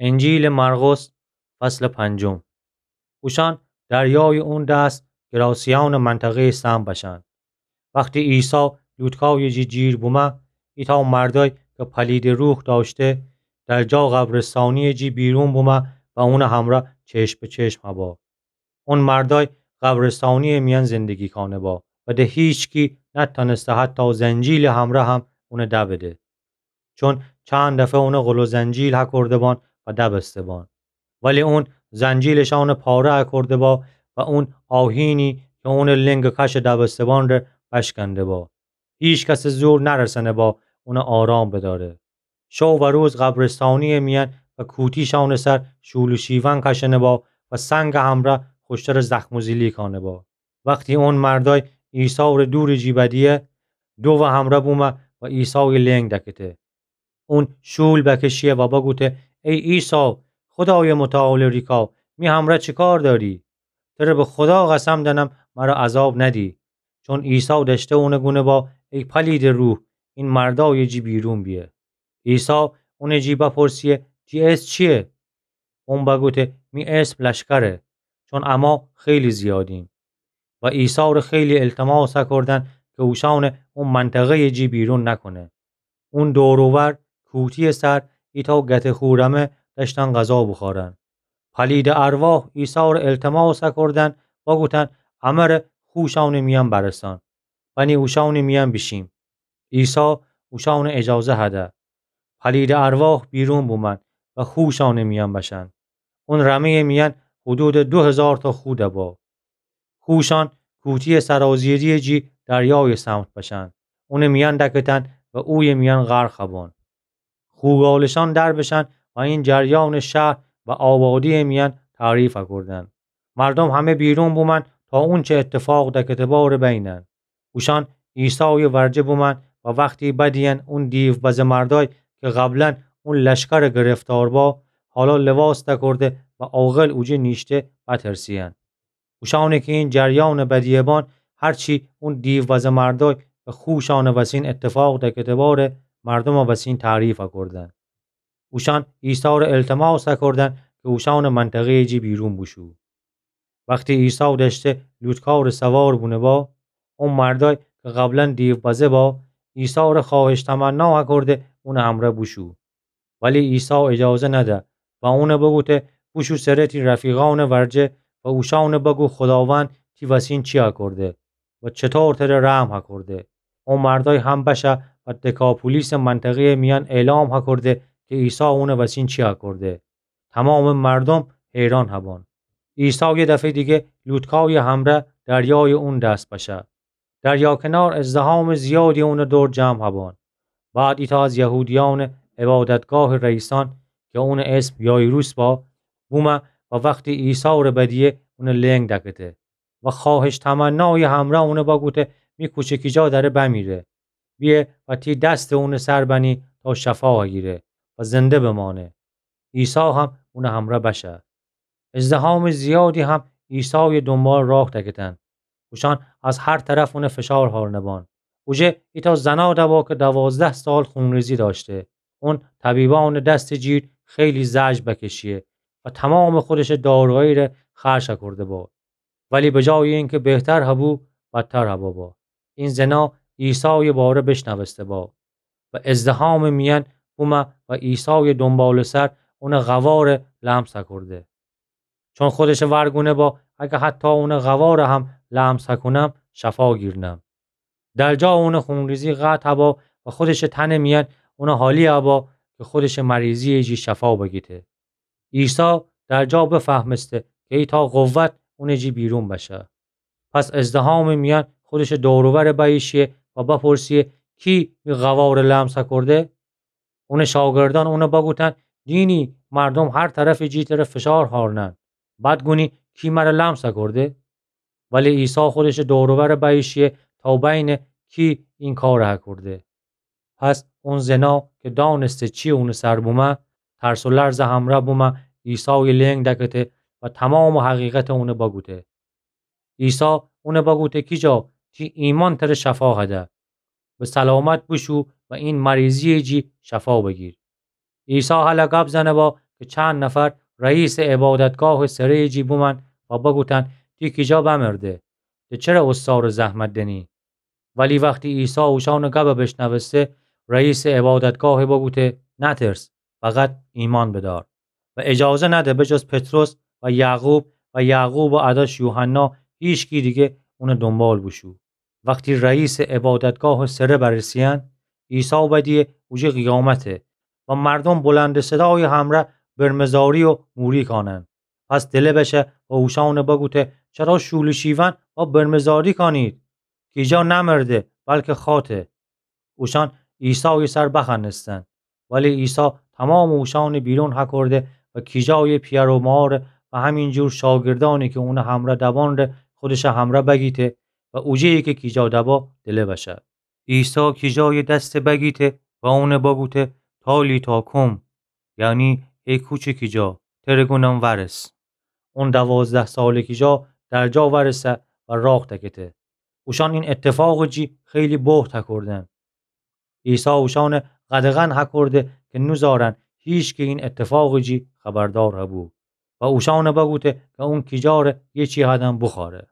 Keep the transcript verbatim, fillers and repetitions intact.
انجیلٚ مرقس، فصلٚ پنجم. اوشأن دریایٚ اون دس گراسه‌یأنٚ منطقه‌یٚ سمت بشأن. وختی عیسی لوطکایٚ جی جیر بومه، ایتأ مردأی کی پلیدٚ روح دأشته، در جا قبرستانی‌یٚ جی بیرون بومه و اونٚ همرأ چشم به چشم هبأ. اون مردأی قبرستانی‌یٚ میأن زندگی کانه‌بأ و ده هیچکی نتأنسته حتی زنجیلٚ همرأ هم اونٚ دبده. چون چند دفعه اونٚ غل و زنجیل هکرده بأن و دبسته بأن. ولی اون زنجیلٚ شأنٚ پاره هکرده بأ و اون آهینی کی اونٚ لنگٚ کش دبسته بأن ره بشکنده بأ. هیکسٚ زور نرسنه بأ اونٚ آرام بدأره. شو و روز قبرستانی‌یٚ میأن و کوتی شأنٚ سر شول و شیون کشنه بأ و سنگٚ همرأ خوشترٚ زخم و زیلی کانه بأ. وختی اون مردأی عیسی ره دورٚ جی بدیه، دو و همرأ بومه و عیسایٚ لنگ دکته. اون شول بکشیه و بگوته: ای عیسی، خودایٚ متعالٚ ریکا، می همرأ چی کار دأری؟ تره به خودا قسم دأنم مره عذاب ندی. چون عیسی دأشته اونٚ گونه بأ: ای پلیدٚ روح، این مردأیٚ جی بیرون بیه. عیسی اونٚ جی بپرسیه: تی اسم چییه؟ اون بگوته: می اسم لشکره، چون اما خیلی زیادیم. و عیسی ره خیلی التماس هکردن کی اوشأنٚ او منطقه‌یٚ جی بیرون نکونه. اون دور و ور کوتی‌یٚ سر ایتأ گته خورمه دأشتن غذا بوخورن. پلیدٚ ارواح عیسی ره التماس هکردن، بگوتن: امره خوشأنٚ میأن برسان، بنی اوشأنٚ میأن بیشیم. عیسی اوشأنٚ اجازه هده. پلیدٚ ارواح بیرون بومن و خوشأنٚ میأن بشن. اون رمه‌یٚ میأن حدودٚ دو هیزار تا خو دبأ. خوشأن کوتی‌یٚ سرازیری‌یٚ جی دریایٚ سمت بشن. اونٚ میأن دکتن و اویٚ میأن غرق هبأن. خوگالشأن در بشن و این جریانٚ شهر و آبادی‌یٚ میأن تعریف هکردن. مردوم همه بیرون بومن تا اونچه اتفاق دکته بأ ره بینن. اوشأن عیسایٚ ورجه بومن و وختی بدیین اون دیوبزه مردأی کی قبلا اون لشکرٚ گرفتار بأ، حالا لباس دکرده و عاقل اوجه نیشته، بترسیین. اوشأنی کی این جریانٚ بدیه بأن، هرچی اون دیوبزه مردأی به خوشأنٚ وسین اتفاق دکته بأ ره مردومٚ وسین تعریف هکردن. اوشأن عیسی ره التماس هکردن کی اوشأنٚ منطقه‌یٚ جی بیرون بوشو. وختی عیسی دأشته لوطکارٚ سوار بونه بأ، او مردأی کی قبلا دیوبزه بأ، عیسی ره خوأهش تمنا هکرده اونٚ همرأ بوشو. ولی عیسی اجازه نده و اون بگوته: بوشو سر تی رفیقأنٚ ورجه و اوشأن بگو خوداوند تی وسین چی هکرده و چطور تره رحم هکرده. او مردأی هم بشه و دکاپولیسٚ منطقه‌یٚ میأن اعلام هکرده کی عیسی اونٚ وسین چی هکرده. تومامٚ مردوم حیران هبأن. عیسی یه دفعه‌یٚ دیگه لوطکایٚ همرأ دریایٚ اون دس بشه. دریا کنار ازدحامٚ زیادی اونٚ دور جمع هبأن. بعد ایتأ از یهودیأنٚ عبادتگاهٚ رئیسأن کی اونٚ اسم یایروس بأ، بومه و وختی عیسی ره بدیه اونٚ لنگ دکته و خوأهش تمنایٚ همرأ اون بگوته: می کوچکی جا دأره بمیره. بیه و تی دستٚ اونٚ سر بنی تا شفا هگیره و زنده بمأنه. عیسی هم اونٚ همرأ بشه. ازدحامٚ زیادی هم عیسایٚ دونبال راه دکتن. اوشأن از هر طرف اون فشار هأرنه بأن. اوجه ایتأ زنا دبأ کی دوازده سال خونریزی دأشته. اون طبیبأنٚ دستٚ جیر خیلی زجر بکشیه و تومامٚ خودشٚ دارایی ره خرج کرده بأ. ولی به جایٚ اینکه بهتر هبو، بدتر هبأ بأ. این زنا عیسایٚ باره بشنوسته بأ و ازدحامٚ میأن بومه و عیسایٚ دونبالٚ سر اونٚ قواره لمس هکرده. چون خودشٚ ورگونه بأ اگه حتی اونٚ قواره هم لمس هکونم، شفا گیرنم. در جا اونٚ خونریزی قطع بأ و خودشٚ تنٚ میأن اون حالی بأ کی خودشٚ مریضیٚ جی شفا بگیته. عیسی در جا بفهمسته کی ایتأ قوت اونٚ جی بیرون بشه. پس ازدحامٚ میأن خودشٚ دور و ور بییشیه و بپرسیه: کی می قواره لمس هکرده؟ اونٚ شاگردأن اون بگوتن: دینی، مردوم هر طرفٚ جی تره فشار هأرنن. بعد گونی کی مره لمس هکرده؟ ولی عیسی خودشٚ دور و ور بییشیه تا بینه کی این کار هکرده. پس اون زنا کی دأنسته چی اونٚ سر بومه، ترس و لرزٚ همرأ بومه عیسایٚ لنگ دکته و تومامٚ حقیقت اون بگوته. عیسی اون بگوته: کی جا، تی ایمأن تره شفا هده. به سلامت بوشو و این مریضیٚ جی شفا بگیر. عیسی هله گب زنه بأ کی چند نفر رئیسٚ عبادتگاهٚ سره‌یٚ جی بومأن و بگوتأن: تی کیجا بمرده، ده چره اوستارٚ زحمت دنی؟ ولی وختی عیسی اوشأنٚ گب بیشنوسته، رئیسٚ عبادتگاه بگوته: نترس، فقط ایمأن بدار. و اجازه نده به جز پطرس و یعقوب و یعقوبٚ عداش یوحنا هیچکی دیگه اونٚ دونبال بوشو. وختی رئیسٚ عبادتگاهٚ سره برسه‌یأن، عیسی بدیه اوجه قیامته و مردوم بلندٚ صدایٚ همرأ برمه‌زاری و موری کانن. پس دله بشه و اوشأن بگوته: چرا شولی‌شیون و برمه‌زاری کانید؟ کیجا نمرده، بلکه خاطه. اوشأن عیسایٚ سر بخوأنستن. ولی عیسی تومامٚ اوشأن بیرون هکرده و کیجایٚ پیأر و مار و همینجور شاگردأنی کی اونٚ همرأ دوان ره خودشٚ همرأ بگیته و اوجه‌یی کی کیجا دوبا دله بشه. عیسی کیجایٚ دس بگیته و اون بگوته: تالیتا کوم، یعنی ای کوچٚ کیجا، تره گونم ورس. اون دوازده سالٚ کیجا در جا ورسه و راه دکته. اوشأن این اتفاقٚ جی خیلی بهت هکردن. عیسی اوشأن قدغن هکرده کی نوزارن هیچکی این اتفاقٚ جی خبردار هبو و اوشأن بگوته کی اون کیجا ره یه چی هدن بوخوأره.